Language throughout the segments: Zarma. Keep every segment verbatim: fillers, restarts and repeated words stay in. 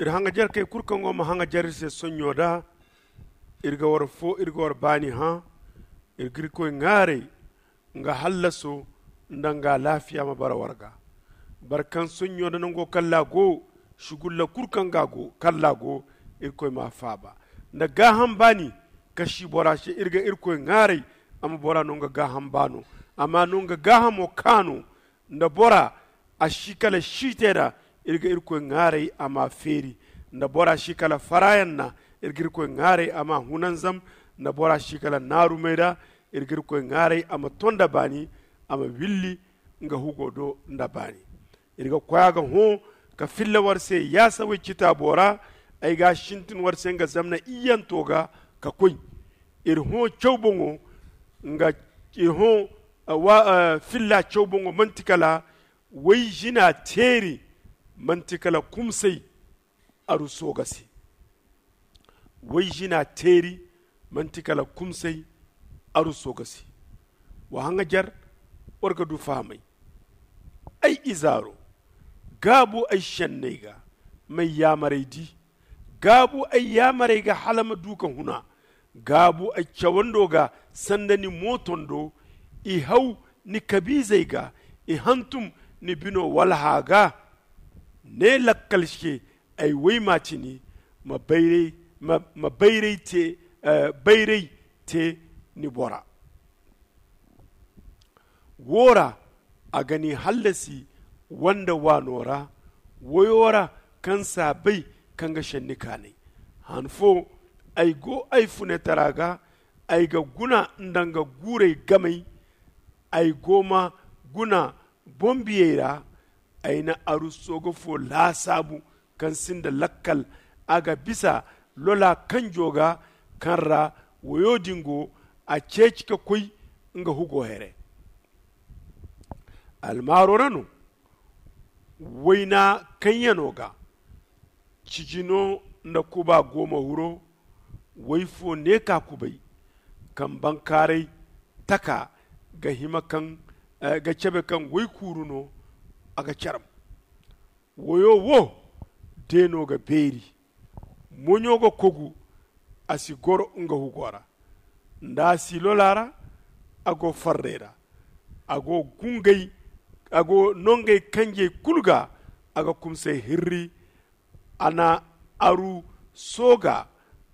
Iri haŋajerkey kulu kaŋ go ma haŋajer iri se sonɲo da, iri ga war fo iri ga war baani hã. Iri ga irkoy ŋaaray nga hallaso nda nga alaafiya ma bara war ga. Boro kaŋ sonɲo nda nango kalla go, sugulla kulu kaŋ ga go kalla go, irkoy m'a faaba nda gaaham baani. Ka si bora se iri ga irkoy ŋaaray a ma bora no nga gaaham baano, a ma no nga gaahamo kaano. Nda bora a si kala siitey ra, iri ga irkoy ŋaaray a m'a feeri. Nda bora si kala faraayaŋ na, iri ga irkoy ŋaaray a m'a hunanzam. Nda bora si kala naarumey ra, iri ga irkoy ŋaaray a ma to nda baani, a ma willi nga hugo do nda baani. Iri ga koy a ga hõ ka filla war se yaasawey citaabo ra. Ay ga a sintin war se nga zamna iyyanto ga ka koy. Iri hõ caw boŋo nga iri hõ filla caw boŋo manti kala way zina teeri, manti kala kumsay aruso ga se. Way zina teeri, manti kala kumsay aruso ga se. Wa haŋajer war ga du fahamay. Ay izaaro, gaabu ay senney ga, m'ay yaamarey di. Gaabu ay yaamarey ga hala ma du ka huna. Gaabu ay cawando ga sanda ni mootondo. I haw ni kabiizey ga, i hantum ni bino walha ga. Ne lakkal se ay waymaatini ma bayray te ni bora. Wo ra a ga ni hallasi wande waano ra. Woyo ra kaŋ si a bay kaŋ ga senni kaanay. Han fo ay go ay funetara ga. Ay ga guna nda nga guurey gamay. Ay go ma guna boŋ biyey ra. Ay na aru sooga fo laasaabu kaŋ sinda lakkal. A ga bisa lola kanjo ga kaŋ ra woyo din go. A ceeci ka koy nga hugo here. Almaaro ra no wayna kaŋ yano ga cijino nda kuba go ma huro. Way fo ne ka kubay kaŋ bankaaray taka ga hima kaŋ ga cabe kaŋ way kuuru no. A ga caram. Wayo wo deeno ga beeri. Moɲo ga kogu a si goro nga hugo ra. Nda a si lola ra a go farray ra. A go gungay a go nongey kanjey kulu ga. A ga kumsay hirri. A na aru sooga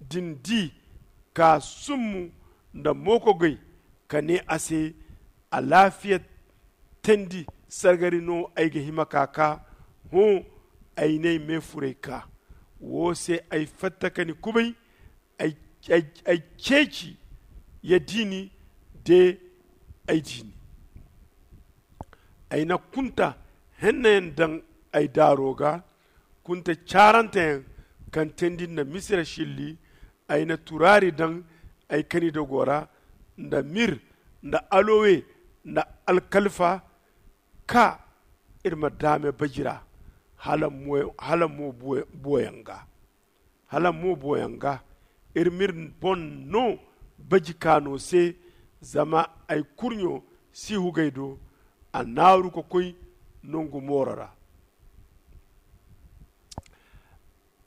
din di ka summu nda mookogey ka ne a se. Alaafiya teendi sargari no ay ga hima ka ka. Hõ ay n'ay meefuray ka. Wo se ay fatta ka ni kubay. Ay ceeci ya diini de ay diini. Ay na kunta hennayaŋ daŋ ay daaro ga. Kunta caaranteyaŋ kaŋ teendi nda misira silli. Ay na turaari daŋ ay kanidogo ra nda mir nda alowe nda alkalfa. Ka iri ma daame baji ra hala mo buwayaŋ ga. Hala mo buwayaŋ ga iri m'iri boŋ no baji kaano se. Zama ay kurɲo si hugay do. A naaru ka koy nongu mooro ra.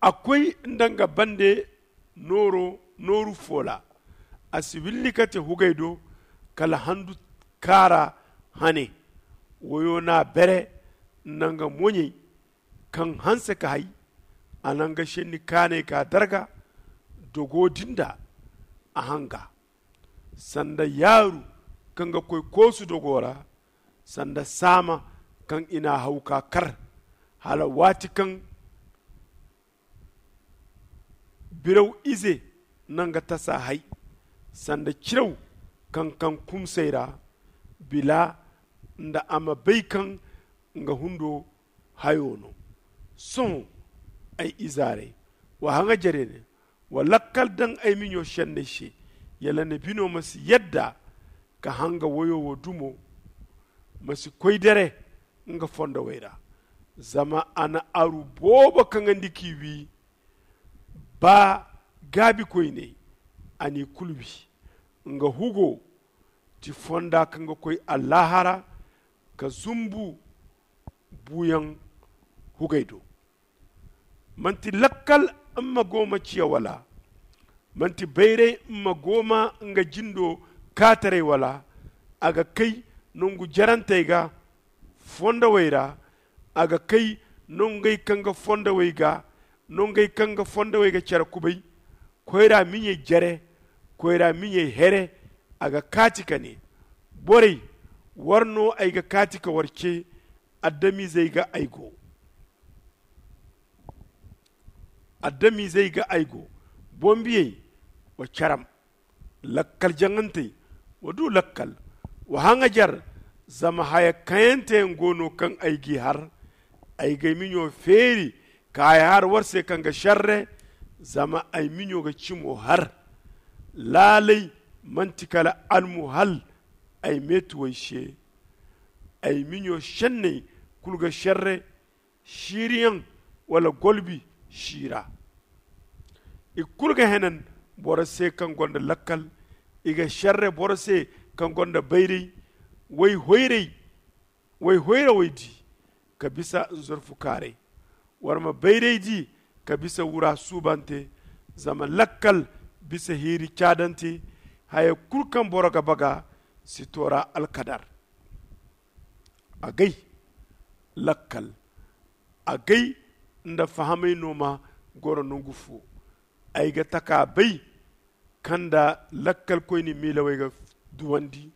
A koy nda nga bande nooru foola. A si willi ka te hugay do kala handu kaara hane. Woyo n'a bere nda nga moɲey kaŋ hanse ka hay. A na nga senni kaanay ka darga dogo din da a hanga. Sanda yaaru kaŋ ga koy koosu dogo ra. Sanda saama kaŋ i n'a haw ka kar hala waati kaŋ biraw ize na nga tasa hay. Sanda ciraw kaŋ kaŋ kumsay ra bila nda a ma bay kaŋ nga hundo hayo no. Sohõ ay izaarey, wa haŋajerey ne, wa lakkal daŋ ay miɲo senney se. Yala ni bino ma si yadda ka hanga woyo wo dumo. Ma si koy dere nga fondowey ra. Zama a na aru boobo kaŋandi k'i wi. Ba gaabikoyney a n'i kulu wi. Nga hugo ti fonda kaŋ ga koy allaahara ka zumbu buuyaŋ hugey do. Manti lakkal mma gooma ciya wala? Manti bayray mma gooma nga jindo kaataray wala? A ga kay nongu jarantey ga fondowey ra. A ga kay nongey kaŋ ga fondowey ga nongey kaŋ ga fondowey ga care kubay. Koyra miɲey jare, koyra miɲey here. A ga kaati ka ne, borey, war no ay ga kaati ka war ce? Adamizey ga ay go. Adamizey ga ay go. Boŋ biyey, wa caram. Lakkal jaŋantey, wa du lakkal. Wa haŋajer, zama haya kayanteyaŋ go no kaŋ ay g'i har. Ay g'ay miɲo feeri ka haya har war se kaŋ ga šerre. Zama ay miɲo ga cimo har. Laalay man'ti kala almuhal ay meetuwey se. Ay miɲo šenney kulu ga šerre. Siiriyaŋ wala golbi siira. I kulu ga henan boro se kaŋ gonda lakkal. I ga šerre boro se kaŋ gonda bayray. Way hoyray way hoyrawey di ka bisa nzorfu kaaray. War ma bayray di ka bisa wura suubante. Zama lakkal bisa hiiri caadante. Haya kulu kaŋ boro ga baga si toora alkadar. Agay lakkal agay nda fahamay no ma goro nongu fo. Ay ga taka bay kaŋ nda lakkalkoyne miilawey ga duwandi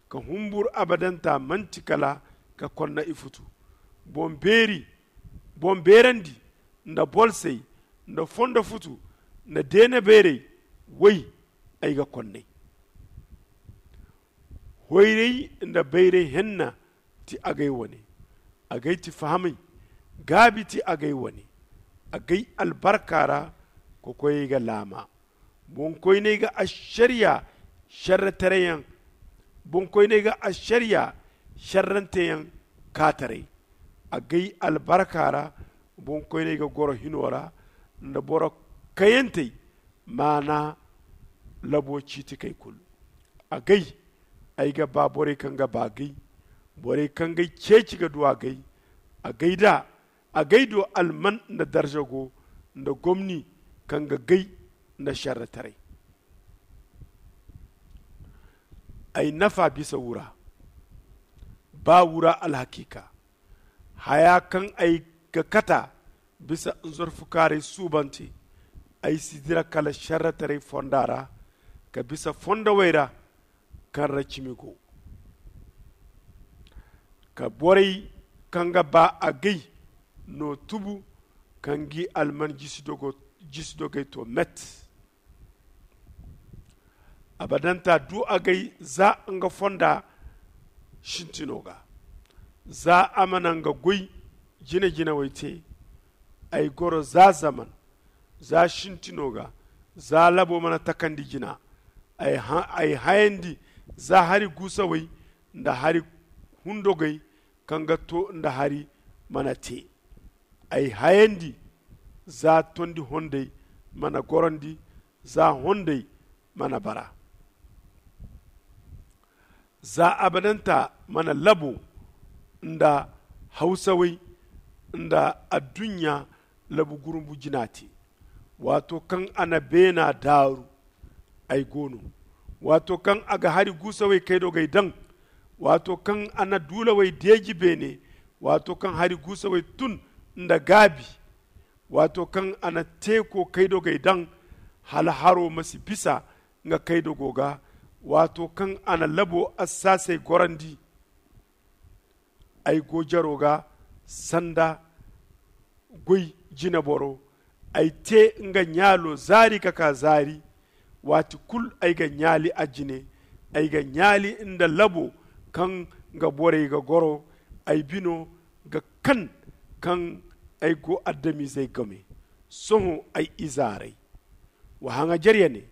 ka humbur abadanta manti kala ka konna ifutu. Boŋ beerandi nda bolsey nda fondo futu nda deena beerey. Way ay ga konnay. Hoyray nda bayray henna ti agay wane. Agay ti fahamay gaabi ti agay wane. Agay albarka ra kokoyey ga laama. Boŋkoyney ga ašariya šerretareyaŋ boŋkoyney ga ašariya šerranteyaŋ kaataray. Agay albarka ra boŋkoyney ga goro hino ra nda boro kayantey. Maana labo ciitikey kulu. Agay ay ga ba borey kaŋ ga ba agay. Borey kaŋ g'ay ceeci ga du agay. Agay da agay do alman nda darza go nda gomni kaŋ ga gay nda šerretaray. Ay nafa bisa wura ba wura alhakiika. Haya kaŋ ay ga kata bisa nzorfukaaray suubante. Ay si dira kala šerretaray fonda ra ka bisa fondowey ra kaŋ ra cimi go. Ka borey kaŋ ga ba agay no tubu kaŋ g'i alman jisi dogey to met. Abadanta du agay za nga fonda sintino ga. Za a mana nga goy jine-jinawey te. Ay goro za zaman za sintino ga. Za labo mana takandi jina. Ay hayandi za hari guusawey nda hari hundogey kaŋ ga to nda hari mana te. Ay hayandi za tondi hondey mana gorandi za hondey mana bara. Za abadanta mana labo nda hawsawey nda adduɲɲa labu gurumbu jina te. Waato kaŋ a na beena daaru ay go no. Waato kaŋ a ga hari guusawey kaydogey daŋ. Waato kaŋ a na duulawey deeji beene. Waato kaŋ hari guusawey tun nda gaabi. Waato kaŋ a na teeko kaydogey daŋ hala haro ma si bisa nga kaydogo ga. Waato kaŋ a na labo assaasey gorandi. Ay go jaro ga sanda goy jineboro. Ay te nga ɲaalo zaari ka kaa zaari. Waati kulu ay ga ɲaali a jine. Ay ga ɲaali nda labo kaŋ nga borey ga goro. Ay bino ga kan kaŋ ay go adamizey game. Sohõ ay ize arey, wa haŋajer ya ne.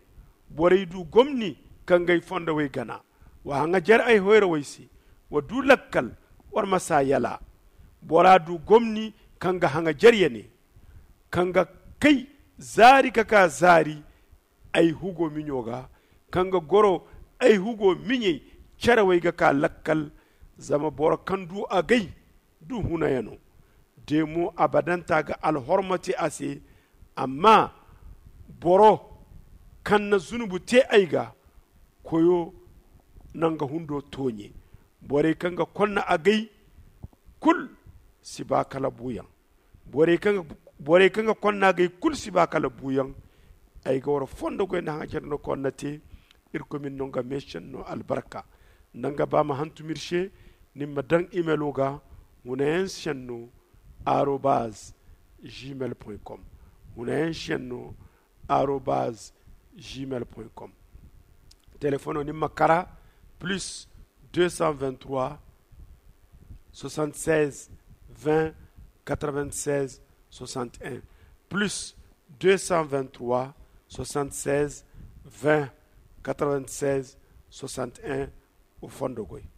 Borey du gomni kaŋ g'ay fondowey gana. Wa haŋajer ay hoyrawey se. Wa du lakkal, war ma s'a yala. Bora du gomni kaŋ ga haŋajer ya ne, kaŋ ga kay zaari ka kaa zaari ay hugo miɲo ga, kaŋ ga goro ay hugo miɲey carawey ga kaa lakkal. Zama boro kaŋ du agay du hunayano. Te mo abadanta ga alhorma te a se. Amma boro kaŋ na zunubu te ay ga, koyo na nga hundo tooɲe. Borey kaŋ ga konna agay kulu si ba kala buuyaŋ. Borey kaŋ ga konna agay kulu si ba kala buuyaŋ. Ay ga war fondo goy nda haŋ care no konna te. Irkoy ma ni no nga meesenno albarka. Nda nga ba ma hantum iri se. Ni ma daŋ imelo ga hunayaŋ senno arobaz gmail point com. Hunayaŋ senno arobaz gmail point com. Telefono ni ma kara plus deux cent vingt-trois soixante-seize vingt quatre-vingt-seize soixante-un, plus deux cent vingt-trois soixante-seize vingt quatre-vingt-seize soixante-un. Wa fondo goy.